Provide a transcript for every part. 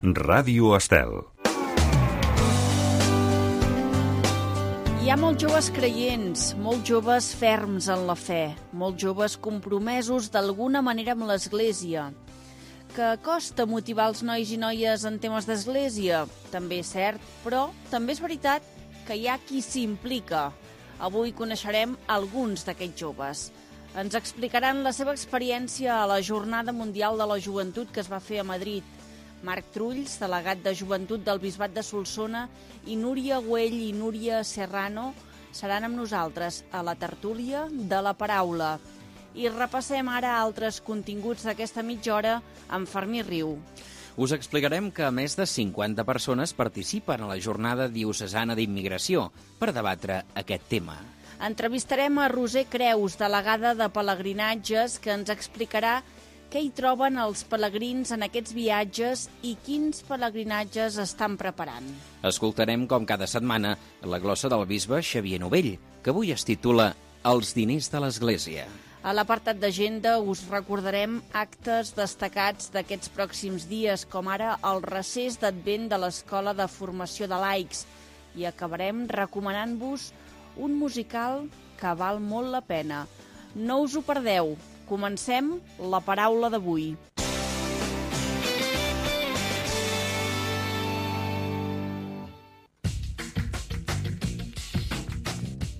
Ràdio Estel. Hi ha molts joves creients, molts joves ferms en la fe, molts joves compromesos d'alguna manera amb l'Església. Que costa motivar els nois i noies en temes d'Església? També és cert, però també és veritat que hi ha qui s'implica. Avui coneixerem alguns d'aquests joves. Ens explicaran la seva experiència a la Jornada Mundial de la Joventut que es va fer a Madrid. Marc Trulls, delegat de Joventut del Bisbat de Solsona, i Núria Güell i Núria Serrano seran amb nosaltres a la tertúlia de la paraula. I repassem ara altres continguts d'aquesta mitja hora amb Fermí Riu. Us explicarem que més de 50 persones participen a la Jornada Diocesana d'Immigració per debatre aquest tema. Entrevistarem a Roser Creus, delegada de Pelegrinatges, que ens explicarà què hi troben els pelegrins en aquests viatges i quins pelegrinatges estan preparant. Escoltarem, com cada setmana, la glossa del bisbe Xavier Novell, que avui es titula Els diners de l'Església. A l'apartat d'agenda us recordarem actes destacats d'aquests pròxims dies, com ara el recés d'Advent de l'Escola de Formació de Laics. I acabarem recomanant-vos un musical que val molt la pena. No us ho perdeu. Comencem la paraula d'avui.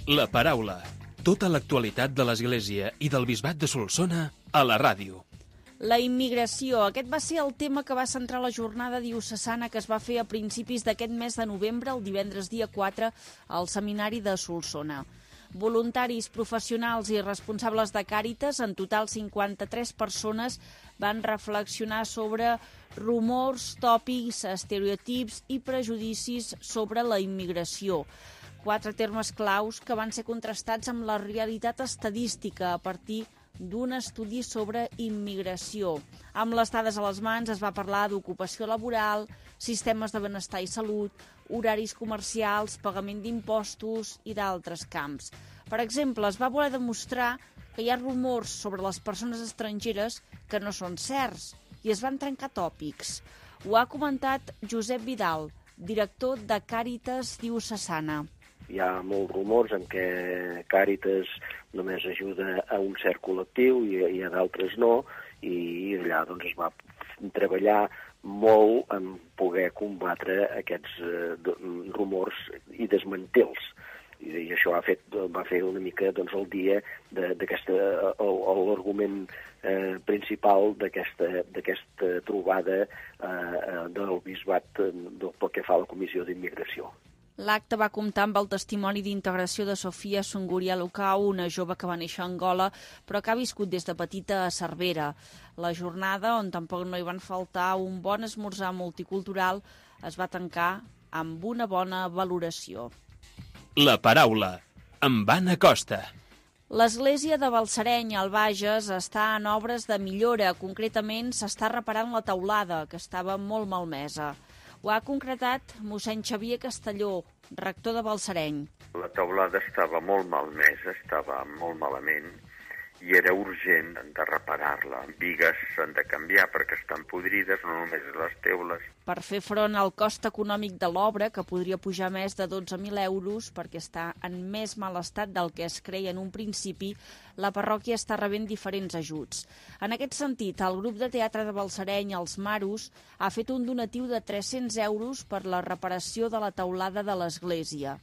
La paraula. Tota l'actualitat de l'Església i del Bisbat de Solsona a la ràdio. La immigració. Aquest va ser el tema que va centrar la jornada diocesana que es va fer a principis d'aquest mes de novembre, el divendres dia 4, al seminari de Solsona. Voluntaris, professionals i responsables de Càritas, en total 53 persones, van reflexionar sobre rumors, tòpics, estereotips i prejudicis sobre la immigració. 4 termes claus que van ser contrastats amb la realitat estadística a partir d'un estudi sobre immigració. Amb les dades a les mans es va parlar d'ocupació laboral, sistemes de benestar i salut, horaris comercials, pagament d'impostos i d'altres camps. Per exemple, es va voler demostrar que hi ha rumors sobre les persones estrangeres que no són certs i es van trencar tòpics. Ho ha comentat Josep Vidal, director de Càritas Diocesana. Hi ha molts rumors en què Càritas només ajuda a un cert col·lectiu i a d'altres no, i allà doncs, es va treballar molt en poder combatre aquests rumors i desmantels. I això va fer una mica doncs, el dia l'argument principal d'aquesta trobada del bisbat pel que fa a la Comissió d'Immigració. L'acte va comptar amb el testimoni d'integració de Sofia Sunguria Lucau, una jove que va néixer a Angola, però que ha viscut des de petita a Cervera. La jornada, on tampoc no hi van faltar un bon esmorzar multicultural, es va tancar amb una bona valoració. La paraula. Amb Anna Costa. L'església de Balsareny, al Bages, està en obres de millora. Concretament, s'està reparant la teulada, que estava molt malmesa. Ho ha concretat mossèn Xavier Castelló, rector de Balsareny. La teulada estava molt malmesa, estava molt malament, i era urgent de reparar-la. Bigues s'han de canviar perquè estan podrides, no només les teules. Per fer front al cost econòmic de l'obra, que podria pujar més de 12.000 euros perquè està en més mal estat del que es creia en un principi, la parròquia està rebent diferents ajuts. En aquest sentit, el grup de teatre de Balsareny, els Maros, ha fet un donatiu de 300 euros per la reparació de la teulada de l'església.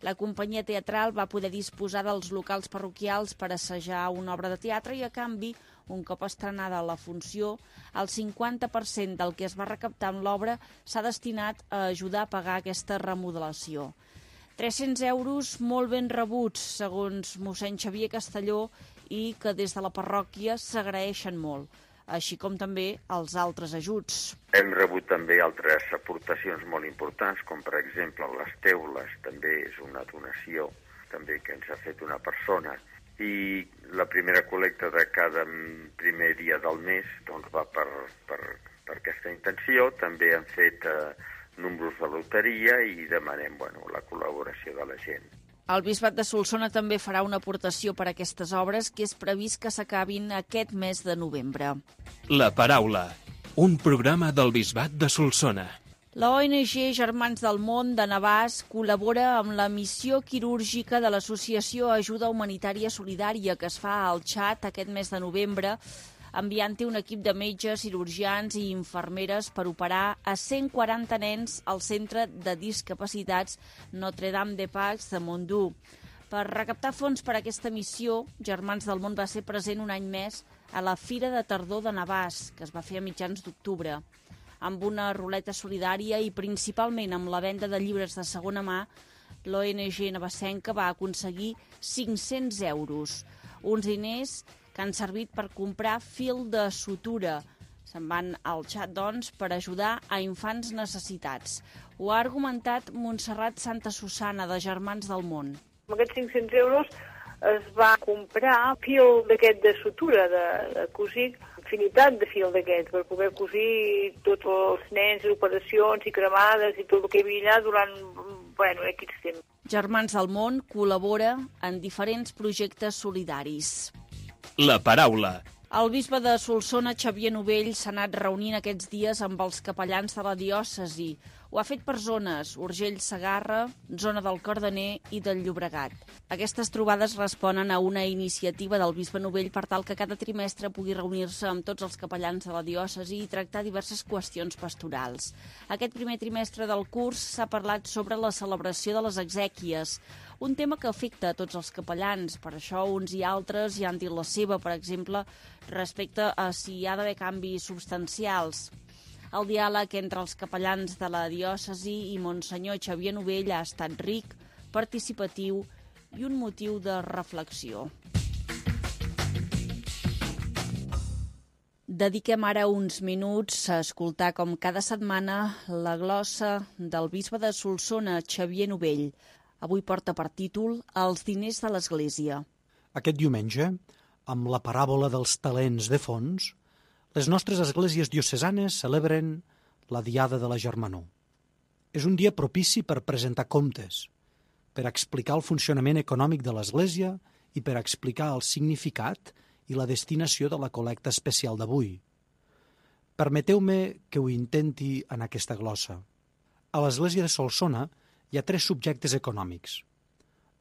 La companyia teatral va poder disposar dels locals parroquials per assajar una obra de teatre i, a canvi, un cop estrenada la funció, el 50% del que es va recaptar amb l'obra s'ha destinat a ajudar a pagar aquesta remodelació. 300 euros molt ben rebuts, segons mossèn Xavier Castelló, i que des de la parròquia s'agraeixen molt, així com també els altres ajuts. Hem rebut també altres aportacions molt importants, com per exemple les teules, també és una donació també que ens ha fet una persona, i la primera col·lecta de cada primer dia del mes doncs, va per aquesta intenció. També han fet números de loteria i demanem la col·laboració de la gent. El Bisbat de Solsona també farà una aportació per a aquestes obres que és previst que s'acabin aquest mes de novembre. La paraula. un programa del Bisbat de Solsona. La ONG Germans del Món de Navàs col·labora amb la missió quirúrgica de l'Associació Ajuda Humanitària Solidària que es fa al Txad aquest mes de novembre, enviant-hi un equip de metges, cirurgians i infermeres per operar a 140 nens al Centre de Discapacitats Notre-Dame-de-Paix de Mondú. Per recaptar fons per a aquesta missió, Germans del Món va ser present un any més a la Fira de Tardor de Navàs, que es va fer a mitjans d'octubre. Amb una ruleta solidària i principalment amb la venda de llibres de segona mà, l'ONG navassenca va aconseguir 500 euros, uns diners que han servit per comprar fil de sutura. Se'n van al Txad, doncs, per ajudar a infants necessitats. Ho ha argumentat Montserrat Santa Susana, de Germans del Món. Amb aquests 500 euros es va comprar fil d'aquest de sutura, de cosir, infinitat de fil d'aquests, per poder cosir tots els nens, i operacions i cremades i tot el que hi havia allà durant aquests temps. Germans del Món col·labora en diferents projectes solidaris. La paraula. El bisbe de Solsona, Xavier Novell, s'ha anat reunint aquests dies amb els capellans de la diòcesi. Ho ha fet per zones, Urgell, Segarra, zona del Cardener i del Llobregat. Aquestes trobades responen a una iniciativa del bisbe Novell per tal que cada trimestre pugui reunir-se amb tots els capellans de la diòcesi i tractar diverses qüestions pastorals. Aquest primer trimestre del curs s'ha parlat sobre la celebració de les exèquies, un tema que afecta a tots els capellans. Per això uns i altres hi han dit la seva, per exemple, respecte a si hi ha d'haver canvis substancials. El diàleg entre els capellans de la diòcesi i Monsenyor Xavier Novell ha estat ric, participatiu i un motiu de reflexió. Dediquem ara uns minuts a escoltar, com cada setmana, la glossa del bisbe de Solsona, Xavier Novell. Avui porta per títol Els diners de l'Església. Aquest diumenge, amb la paràbola dels talents de fons, les nostres esglésies diocesanes celebren la Diada de la Germanor. És un dia propici per presentar comptes, per explicar el funcionament econòmic de l'Església i per explicar el significat i la destinació de la col·lecta especial d'avui. Permeteu-me que ho intenti en aquesta glossa. A l'Església de Solsona hi ha 3 subjectes econòmics: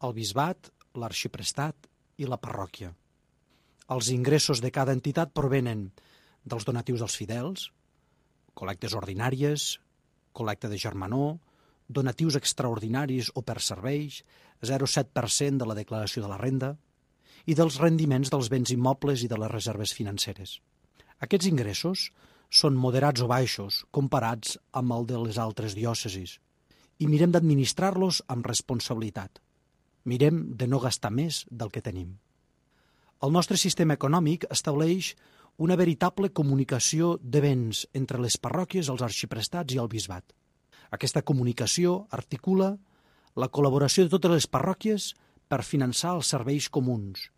el bisbat, l'arxiprestat i la parròquia. Els ingressos de cada entitat provenen dels donatius als fidels, col·lectes ordinàries, col·lecta de germanor, donatius extraordinaris o per serveis, 0,7% de la declaració de la renda, i dels rendiments dels béns immobles i de les reserves financeres. Aquests ingressos són moderats o baixos comparats amb el de les altres diòcesis, i mirem d'administrar-los amb responsabilitat. Mirem de no gastar més del que tenim. El nostre sistema econòmic estableix una veritable comunicació de béns entre les parròquies, els arxiprestats i el bisbat. Aquesta comunicació articula la col·laboració de totes les parròquies per finançar els serveis comuns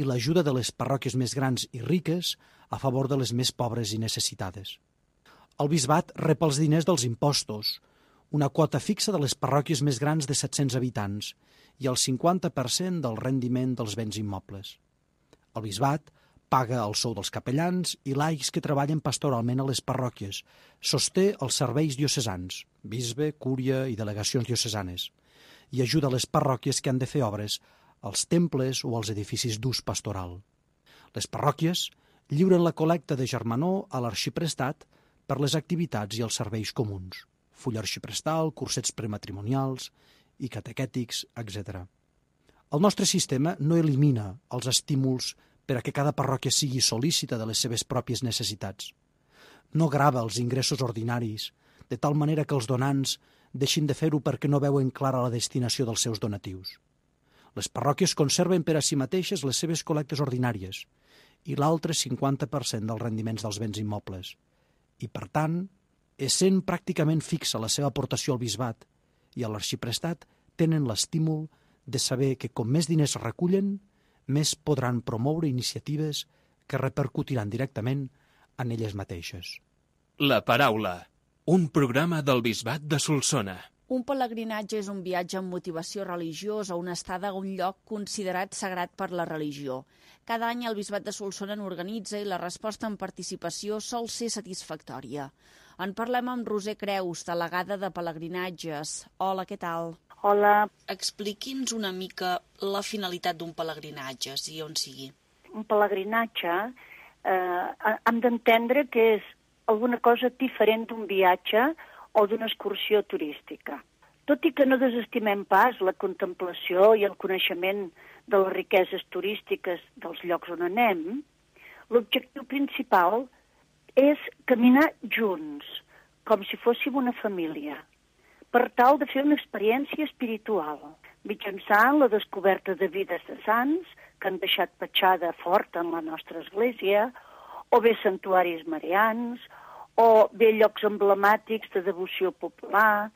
i l'ajuda de les parròquies més grans i riques a favor de les més pobres i necessitades. El bisbat rep els diners dels impostos, una quota fixa de les parròquies més grans de 700 habitants i el 50% del rendiment dels béns immobles. El bisbat paga el sou dels capellans i laics que treballen pastoralment a les parròquies, sosté els serveis diocesans, bisbe, cúria i delegacions diocesanes, i ajuda les parròquies que han de fer obres als temples o als edificis d'ús pastoral. Les parròquies lliuren la col·lecta de germanor a l'arxiprestat per les activitats i els serveis comuns, full arxiprestal, cursets prematrimonials i catequètics, etc. El nostre sistema no elimina els estímuls per a que cada parròquia sigui sol·lícita de les seves pròpies necessitats. No grava els ingressos ordinaris, de tal manera que els donants deixin de fer-ho perquè no veuen clara la destinació dels seus donatius. Les parròquies conserven per a si mateixes les seves col·lectes ordinàries i l'altre 50% dels rendiments dels béns immobles. I, per tant, essent pràcticament fixa la seva aportació al bisbat i a l'arxiprestat, tenen l'estímul de saber que com més diners recullen, més podran promoure iniciatives que repercutiran directament en elles mateixes. La paraula, un programa del Bisbat de Solsona. Un pelegrinatge és un viatge amb motivació religiosa, una estada a un lloc considerat sagrat per la religió. Cada any el Bisbat de Solsona n'organitza i la resposta en participació sol ser satisfactòria. En parlem amb Roser Creus, delegada de pelegrinatges. Hola, què tal? Hola. Expliqui'ns una mica la finalitat d'un pelegrinatge, sigui on sigui. Un pelegrinatge hem d'entendre que és alguna cosa diferent d'un viatge o d'una excursió turística. Tot i que no desestimem pas la contemplació i el coneixement de les riqueses turístiques dels llocs on anem, l'objectiu principal és caminar junts, com si fóssim una família, per tal de fer una experiència espiritual, mitjançant la descoberta de vides de sants que han deixat petjada forta en la nostra església, o bé santuaris marians, o bé llocs emblemàtics de devoció popular.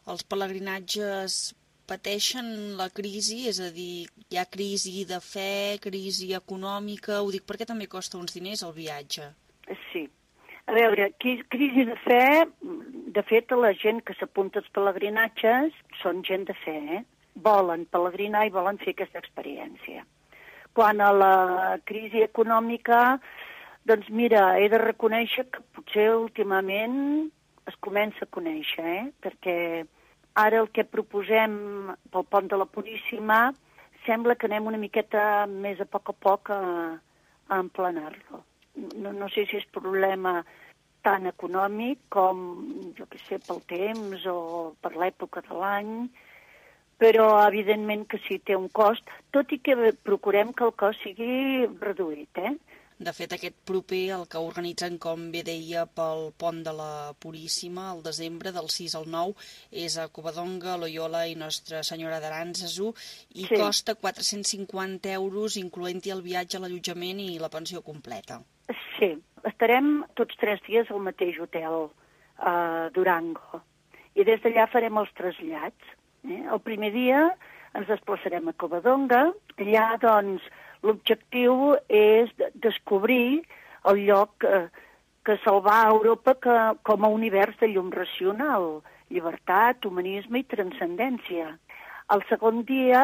Els pelegrinatges pateixen la crisi, és a dir, hi ha crisi de fe, crisi econòmica, ho dic perquè també costa uns diners el viatge. Sí. A veure, crisi de fe, de fet, la gent que s'apunta als pelegrinatges són gent de fe, volen pelegrinar i volen fer aquesta experiència. Quant a la crisi econòmica, doncs mira, he de reconèixer que potser últimament es comença a conèixer, perquè ara el que proposem pel Pont de la Puríssima sembla que anem una miqueta més a poc a emplenar-lo. No sé si és problema tan econòmic com, jo què sé, pel temps o per l'època de l'any, però evidentment que sí, té un cost, tot i que procurem que el cost sigui reduït, De fet, aquest proper, el que organitzen, com bé deia, pel Pont de la Puríssima, al desembre, del 6 al 9, és a Covadonga, Loyola i Nostra Senyora d'Arànzazu, i sí, costa 450 €, incloent-hi el viatge, l'allotjament i la pensió completa. Sí, estarem tots 3 dies al mateix hotel, a Durango, i des d'allà farem els trasllats. El primer dia ens desplaçarem a Covadonga, allà, doncs, l'objectiu és descobrir el lloc que se'l va a Europa com a univers de llum racional, llibertat, humanisme i transcendència. El segon dia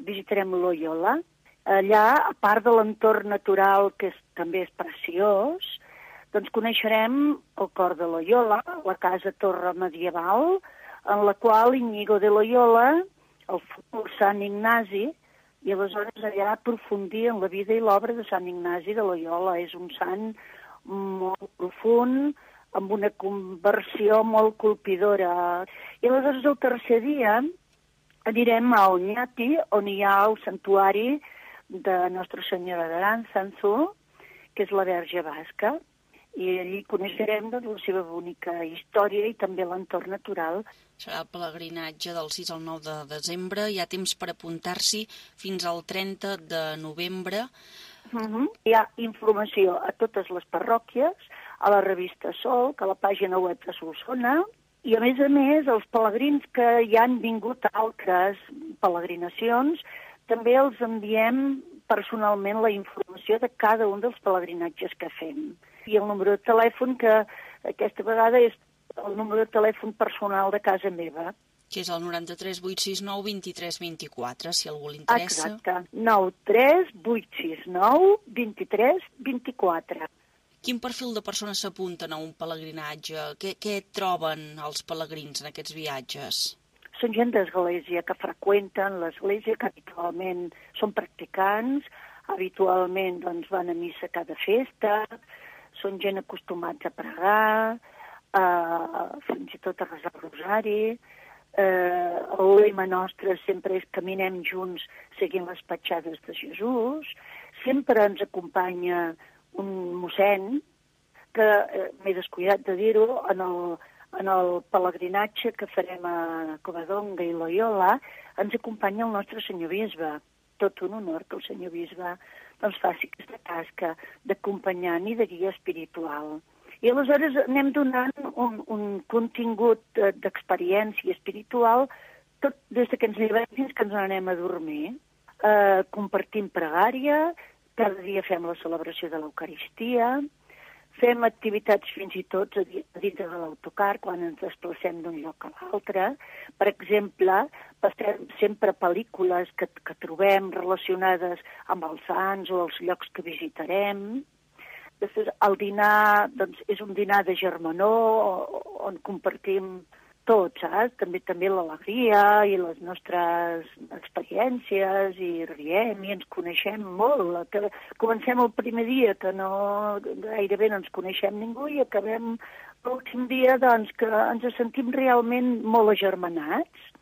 visitarem Loyola. Allà, a part de l'entorn natural, que també és preciós, doncs coneixerem el cor de Loyola, la casa-torre medieval, en la qual Íñigo de Loyola, el futur Sant Ignasi, i aleshores allà aprofundir en la vida i l'obra de Sant Ignasi de Loyola. És un sant molt profund, amb una conversió molt colpidora. I aleshores el tercer dia anirem a Oñati, on hi ha el santuari de Nostra Senyora d'Arànzazu, que és la Verge Basca, i allí coneixerem la seva bonica història i també l'entorn natural. Serà el pelegrinatge del 6 al 9 de desembre, hi ha temps per apuntar-s'hi fins al 30 de novembre. Hi ha informació a totes les parròquies, a la revista Sol, a la pàgina web de Solsona, i a més, els pelegrins que ja han vingut a altres peregrinacions, també els enviem personalment la informació de cada un dels pelegrinatges que fem. I el número de telèfon, que aquesta vegada és el número de telèfon personal de casa meva. Que és el 93 869 23 24, si algú li interessa. Exacte, 93 869 23 24. Quin perfil de persones s'apunten a un pelegrinatge? Què troben els pelegrins en aquests viatges? Són gent d'església que freqüenten l'església, que habitualment són practicants, habitualment doncs, van a missa cada festa, són gent acostumats a pregar, fins i tot a resar el rosari. El lema nostre sempre és caminem junts seguint les petjades de Jesús. Sempre ens acompanya un mossèn, que m'he descuidat de dir-ho, en el pelegrinatge que farem a Covadonga i Loyola, ens acompanya el nostre senyor bisbe. Tot un honor que el senyor bisbe doncs, faci aquesta tasca d'acompanyant i de guia espiritual. I aleshores anem donant un contingut d'experiència espiritual tot des que ens llevem fins que ens anem a dormir. Compartim pregària, cada dia fem la celebració de l'Eucaristia, Fem activitats fins i tot a dintre de l'autocar, quan ens desplacem d'un lloc a l'altre. Per exemple, passem sempre pel·lícules que trobem relacionades amb els sants o els llocs que visitarem. Després, el dinar doncs, és un dinar de germanor on compartim tot, saps? També l'alegria i les nostres experiències i riem i ens coneixem molt. Comencem el primer dia que gairebé no ens coneixem ningú i acabem l'últim dia doncs, que ens sentim realment molt agermanats.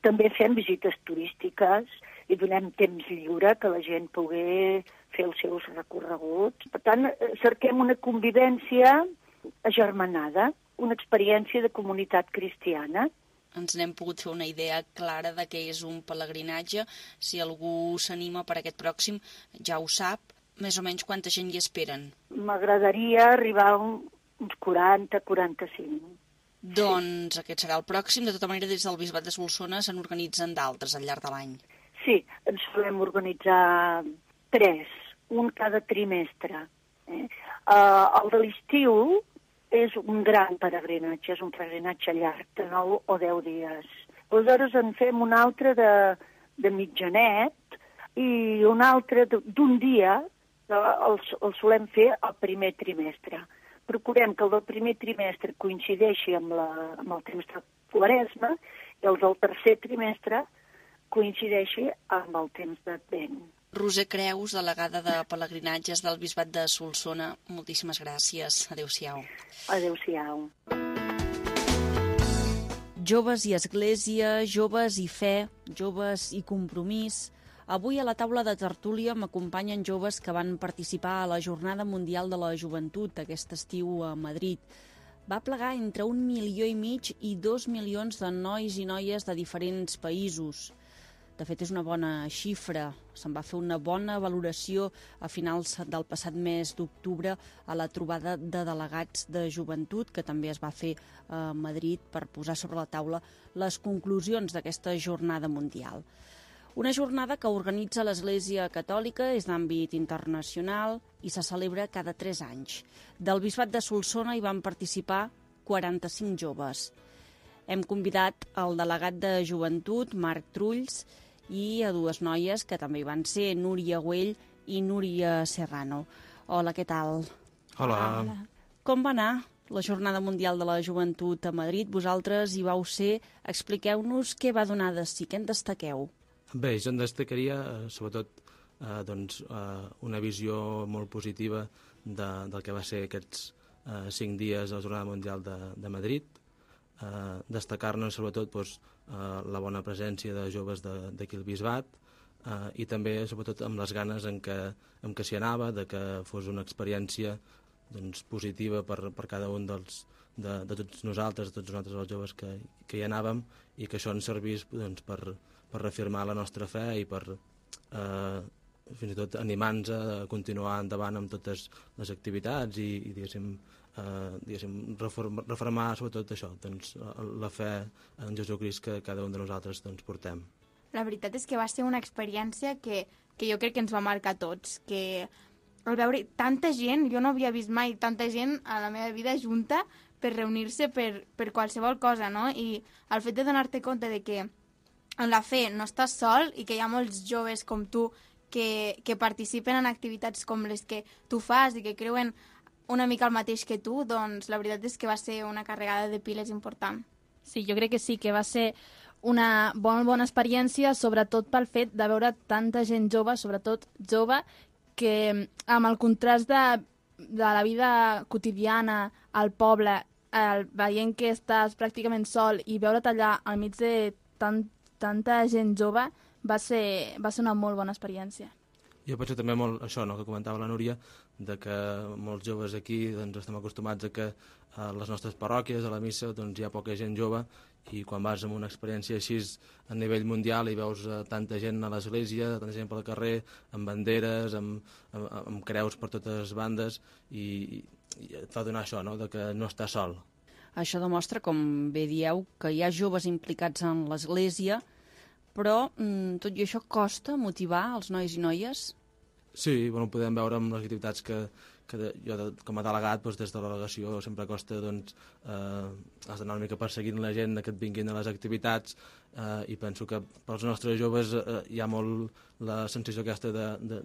També fem visites turístiques i donem temps lliure que la gent pugui fer els seus recorreguts. Per tant, cerquem una convivència agermanada, una experiència de comunitat cristiana. Ens n'hem pogut fer una idea clara de què és un pelegrinatge. Si algú s'anima per aquest pròxim, ja ho sap. Més o menys quanta gent hi esperen? M'agradaria arribar a uns 40-45. Doncs aquest serà el pròxim. De tota manera, des del Bisbat de Solsona se n'organitzen d'altres al llarg de l'any. Sí, ens solem organitzar 3, un cada trimestre. El de l'estiu és un gran peregrinatge, és un peregrinatge llarg, de 9 o 10 dies. Aleshores en fem un altre de mitjanet i un altre d'un dia, el solem fer al primer trimestre. Procurem que el del primer trimestre coincideixi amb el temps de Quaresma i el del tercer trimestre coincideixi amb el temps d'Advent. Roser Creus, delegada de pelegrinatges del Bisbat de Solsona, moltíssimes gràcies. Adéu-siau. Adéu-siau. Joves i Església, joves i fe, joves i compromís. Avui a la taula de tertúlia m'acompanyen joves que van participar a la Jornada Mundial de la Joventut aquest estiu a Madrid. Va plegar entre 1,5 milions i 2 milions de nois i noies de diferents països. De fet, és una bona xifra. Se'n va fer una bona valoració a finals del passat mes d'octubre a la trobada de delegats de joventut que també es va fer a Madrid per posar sobre la taula les conclusions d'aquesta jornada mundial. Una jornada que organitza l'Església Catòlica, és d'àmbit internacional i se celebra cada 3 anys. Del Bisbat de Solsona hi van participar 45 joves. Hem convidat el delegat de joventut, Marc Trulls, i a 2 noies que també hi van ser, Núria Güell i Núria Serrano. Hola, què tal? Hola. Com va anar la Jornada Mundial de la Joventut a Madrid? Vosaltres hi vau ser. Expliqueu-nos què va donar de si, què en destaqueu? Bé, jo en destacaria, sobretot, una visió molt positiva del que va ser aquests 5 dies de la Jornada Mundial de Madrid. Destacar-ne, sobretot, la bona presència de joves d'aquí al Bisbat i també, sobretot, amb les ganes en què s'hi anava, de que fos una experiència positiva per cada un de tots nosaltres, els joves que hi anàvem, i que això ens servís per reafirmar la nostra fe i per fins i tot animar-nos a continuar endavant amb totes les activitats i diguéssim, reformar sobretot això, la fe en Jesucrist que cada un de nosaltres portem. La veritat és que va ser una experiència que jo crec que ens va marcar a tots, que al veure tanta gent, jo no havia vist mai tanta gent a la meva vida junta per reunir-se per qualsevol cosa, no? I el fet de donar-te compte de que en la fe no estàs sol i que hi ha molts joves com tu que participen en activitats com les que tu fas i que creuen una mica el mateix que tu, doncs la veritat és que va ser una carregada de piles important. Sí, jo crec que sí, que va ser una bona experiència, sobretot pel fet de veure tanta gent jove, sobretot jove, que amb el contrast de la vida quotidiana al poble, veient que estàs pràcticament sol i veure't allà al mig de tanta gent jove, va ser una molt bona experiència. Jo penso també molt això, que comentava la Núria, de que molts joves aquí estem acostumats a que a les nostres parròquies, a la missa, hi ha poca gent jove, i quan vas amb una experiència així a nivell mundial i veus tanta gent a l'església, tanta gent pel carrer, amb banderes, amb creus per totes les bandes, i et fa donar això, de que no estàs sol. Això demostra, com bé dieu, que hi ha joves implicats en l'església, però tot i això costa motivar els nois i noies? Sí, podem veure amb les activitats que jo com a delegat, doncs, des de la delegació sempre costa, doncs, has d'anar una mica perseguint la gent que et vinguin a les activitats, i penso que pels nostres joves hi ha molt la sensació aquesta de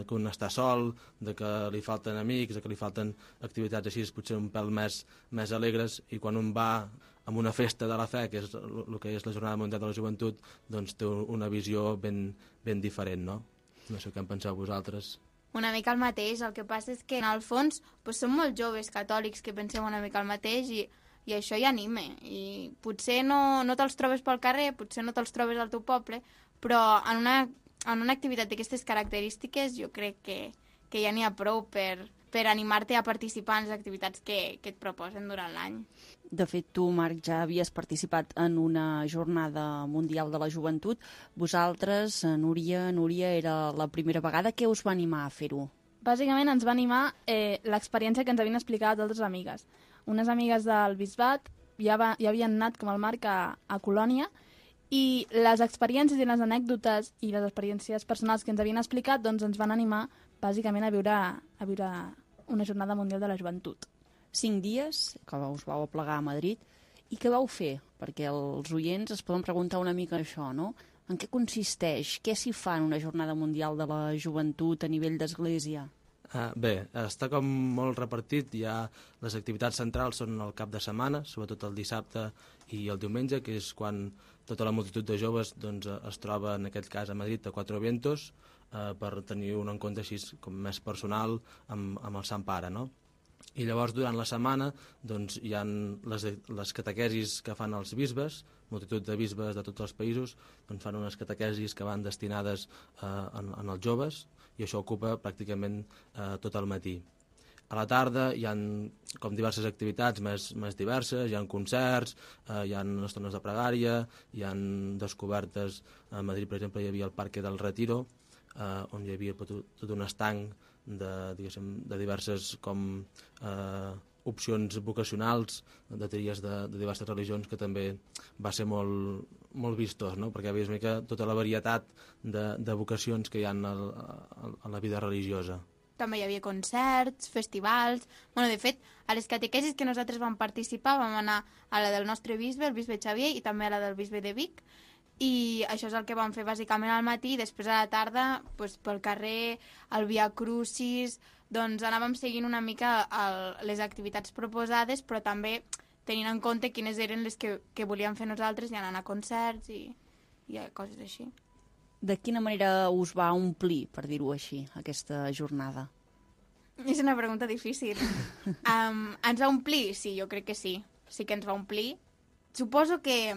que un està sol, de que li falten amics, de que li falten activitats així, potser un pèl més alegres, i quan un va a una festa de la fe, que és el que és la Jornada Mundial de la Joventut, doncs té una visió ben diferent, no? No sé què en penseu vosaltres. Una mica el mateix, el que passa és que en el fons doncs som molt joves catòlics que pensem una mica el mateix i això hi anima, i potser no te'ls trobes pel carrer, potser no te'ls trobes al teu poble, però en una activitat d'aquestes característiques jo crec que ja n'hi ha prou per animar-te a participar en les activitats que et proposen durant l'any. De fet, tu, Marc, ja havies participat en una jornada mundial de la joventut. Vosaltres, Núria, era la primera vegada. Què us va animar a fer-ho? Bàsicament ens va animar l'experiència que ens havien explicat altres amigues. Unes amigues del Bisbat ja havien anat, com el Marc, a Colònia, i les experiències i les anècdotes i les experiències personals que ens havien explicat doncs ens van animar bàsicament a viure una jornada mundial de la joventut. 5 dies que us vau aplegar a Madrid. I què vau fer? Perquè els oients es poden preguntar una mica això, no? En què consisteix? Què s'hi fa en una jornada mundial de la joventut a nivell d'església? Bé, està com molt repartit. Les activitats centrals són el cap de setmana, sobretot el dissabte i el diumenge, que és quan tota la multitud de joves doncs, es troba, en aquest cas a Madrid, a Cuatro Vientos, per tenir un encontre així com més personal amb el Sant Pare, no? I llavors durant la setmana doncs, hi ha les catequesis que fan els bisbes, multitud de bisbes de tots els països, doncs fan unes catequesis que van destinades en els joves, i això ocupa pràcticament tot el matí. A la tarda hi ha com diverses activitats més diverses, hi ha concerts, hi ha estones de pregària, hi ha descobertes. A Madrid, per exemple, hi havia el Parque del Retiro, on hi havia tot un estanc de diverses opcions vocacionals, de tries de diverses religions, que també va ser molt vistós, no? Perquè veies mica tota la varietat de vocacions que hi ha a la vida religiosa. També hi havia concerts, festivals. De fet, a les catequesis que nosaltres vam participar vam anar a la del nostre bisbe, el bisbe Xavier, i també a la del bisbe de Vic, i això és el que vam fer bàsicament al matí, i després a la tarda pel carrer, el Via Crucis, doncs anàvem seguint una mica les activitats proposades, però també tenint en compte quines eren les que volíem fer nosaltres, i anant a concerts i coses així. De quina manera us va omplir, per dir-ho així, aquesta jornada? És una pregunta difícil. Ens va omplir? Sí, jo crec que sí. Sí que ens va omplir. Suposo que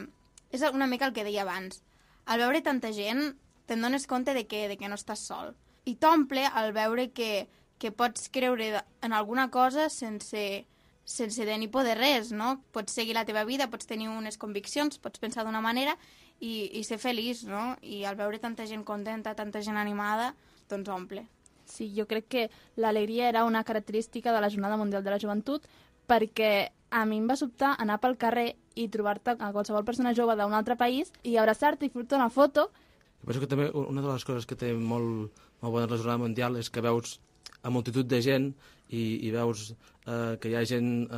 és una mica el que deia abans. Al veure tanta gent, te'n dones compte de que no estàs sol. I t'omple al veure que pots creure en alguna cosa sense tenir por de res, no? Pots seguir la teva vida, pots tenir unes conviccions, pots pensar d'una manera i ser feliç, no? I al veure tanta gent contenta, tanta gent animada, doncs omple. Sí, jo crec que l'alegria era una característica de la Jornada Mundial de la Joventut, perquè a mi em va sobtar anar pel carrer i trobar-te a qualsevol persona jove d'un altre país i abraçar-te i fer-te una foto. Penso que també una de les coses que té molt bona la Jornada Mundial és que veus a multitud de gent i veus que hi ha gent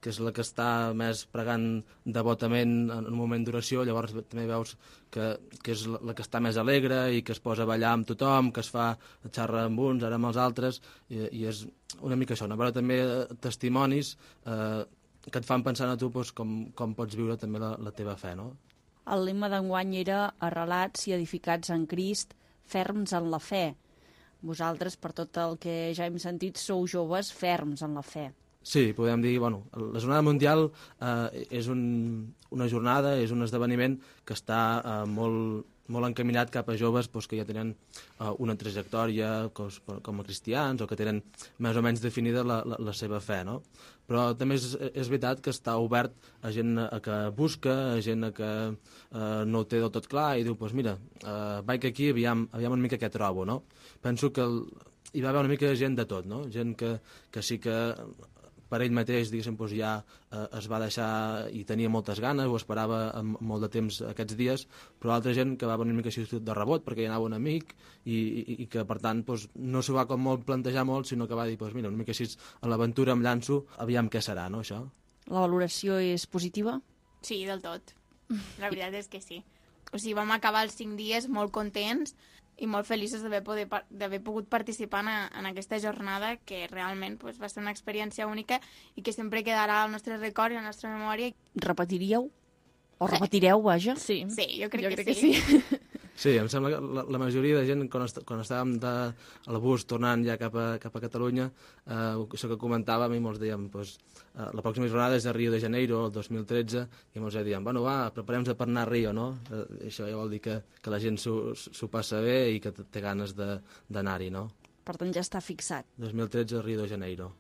que és la que està més pregant devotament en un moment d'oració, llavors també veus que és la que està més alegre i que es posa a ballar amb tothom, que es fa xarra amb uns, ara amb els altres, i és una mica això, veure també testimonis que et fan pensar a tu com pots viure també la teva fe, no? El lema d'enguany era arrelats i edificats en Crist, ferms en la fe. Vosaltres, per tot el que ja hem sentit, sou joves ferms en la fe. Sí, podem dir, la Jornada Mundial és una jornada, és un esdeveniment que està molt encaminat cap a joves que ja tenen una trajectòria com a cristians o que tenen més o menys definida la seva fe, no? Però també és veritat que està obert a gent que busca, a gent que no ho té del tot clar i diu, mira, vaig aquí, aviam una mica què trobo, no? Penso que hi va haver una mica de gent de tot, no? Gent que sí que per ell mateix, diguéssim, ja es va deixar i tenia moltes ganes, ho esperava amb molt de temps aquests dies, però altra gent que va venir una mica així de rebot perquè hi anava un amic i que, per tant, no s'ho va com molt plantejar molt, sinó que va dir, mira, una mica així a l'aventura em llanço, aviam què serà, no, això? La valoració és positiva? Sí, del tot. La veritat és que sí. O sigui, vam acabar els 5 dies molt contents i molt feliços d'haver pogut participar en aquesta jornada, que realment va ser una experiència única i que sempre quedarà al nostre record i a la nostra memòria. Repetiríeu? O repetireu, vaja? Sí, jo crec que sí. Sí, em sembla que la majoria de gent, quan estàvem al bus tornant ja cap a Catalunya, això que comentàvem, i molts dèiem, la pròxima jornada és a Rio de Janeiro, el 2013, i molts dèiem, preparem-nos per anar a Rio, no? Això ja vol dir que la gent s'ho passa bé i que té ganes d'anar-hi, no? Per tant, ja està fixat. 2013 a Rio de Janeiro.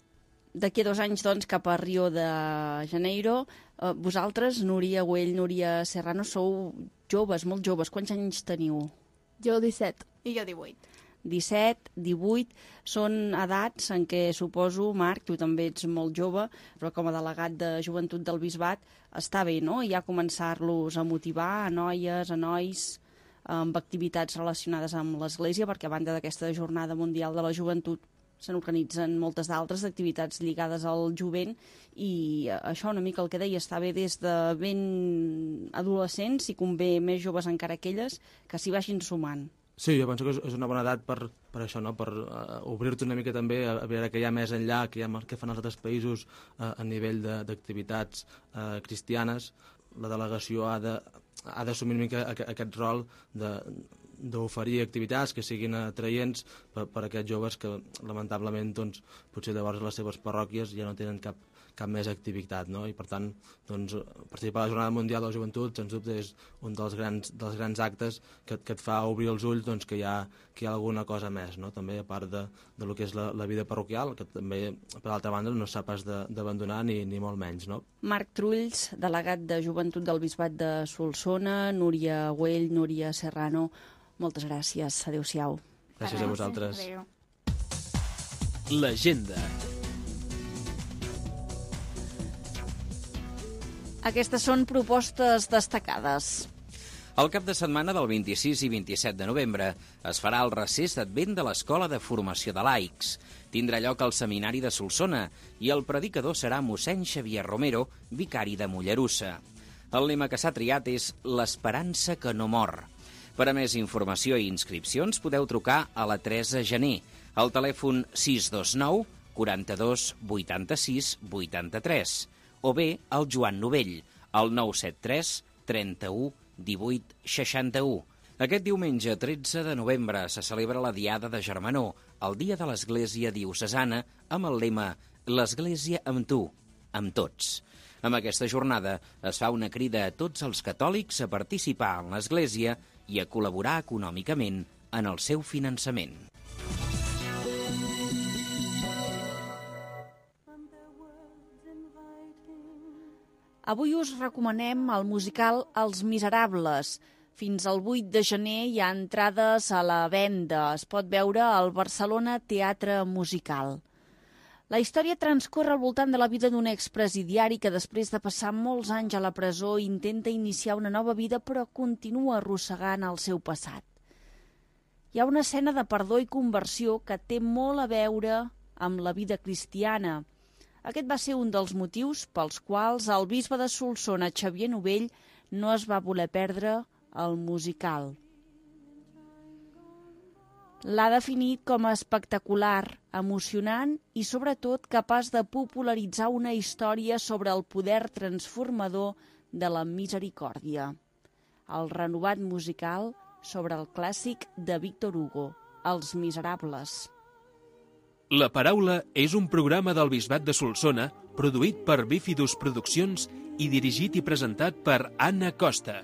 D'aquí a 2 anys, doncs, cap a Rio de Janeiro. Vosaltres, Núria Güell, Núria Serrano, sou joves, molt joves. Quants anys teniu? Jo 17. I jo 18. 17, 18, són edats en què suposo, Marc, tu també ets molt jove, però com a delegat de Joventut del Bisbat està bé, no?, ja començar-los a motivar, a noies, a nois, amb activitats relacionades amb l'Església, perquè a banda d'aquesta Jornada Mundial de la Joventut se n'organitzen moltes d'altres activitats lligades al jovent, i això una mica el que deia, està bé des de ben adolescents, i convé més joves encara aquelles, que s'hi vagin sumant. Sí, jo penso que és una bona edat per això, no? Per obrir-te una mica també a veure què hi ha més enllà, què fan els altres països a nivell d'activitats cristianes. La delegació ha d'assumir una mica aquest rol d'oferir activitats que siguin atraients per a aquests joves que lamentablement potser llavors les seves parròquies ja no tenen cap més activitat, no? I per tant participar a la Jornada Mundial de la Joventut sens dubte és un dels grans actes que et fa obrir els ulls que hi ha alguna cosa més, no? També a part de lo que és la vida parroquial, que també per altra banda no s'ha pas d'abandonar ni molt menys, no? Marc Trulls, delegat de Joventut del Bisbat de Solsona, Núria Güell, Núria Serrano, moltes gràcies. Adéu-siau. Gràcies a vosaltres. Adéu. L'agenda. Aquestes són propostes destacades. El cap de setmana del 26 i 27 de novembre es farà el recés d'Advent de l'Escola de Formació de Laics. Tindrà lloc al Seminari de Solsona i el predicador serà mossèn Xavier Romero, vicari de Mollerussa. El lema que s'ha triat és l'Esperança que no mor. Per a més informació i inscripcions podeu trucar a la Teresa Gené, al telèfon 629 42 86 83, o bé al Joan Novell, al 973 31 18 61. Aquest diumenge 13 de novembre se celebra la Diada de Germanor, el dia de l'Església Diocesana, amb el lema «L'Església amb tu, amb tots». Amb aquesta jornada es fa una crida a tots els catòlics a participar en l'Església i a col·laborar econòmicament en el seu finançament. Avui us recomanem el musical Els Miserables. Fins al 8 de gener hi ha entrades a la venda. Es pot veure al Barcelona Teatre Musical. La història transcorre al voltant de la vida d'un expresidiari que després de passar molts anys a la presó intenta iniciar una nova vida però continua arrossegant el seu passat. Hi ha una escena de perdó i conversió que té molt a veure amb la vida cristiana. Aquest va ser un dels motius pels quals el bisbe de Solsona, Xavier Novell, no es va voler perdre el musical. L'ha definit com a espectacular, emocionant i, sobretot, capaç de popularitzar una història sobre el poder transformador de la misericòrdia. El renovat musical sobre el clàssic de Víctor Hugo, Els Miserables. La Paraula és un programa del Bisbat de Solsona produït per Bífidus Produccions i dirigit i presentat per Anna Costa.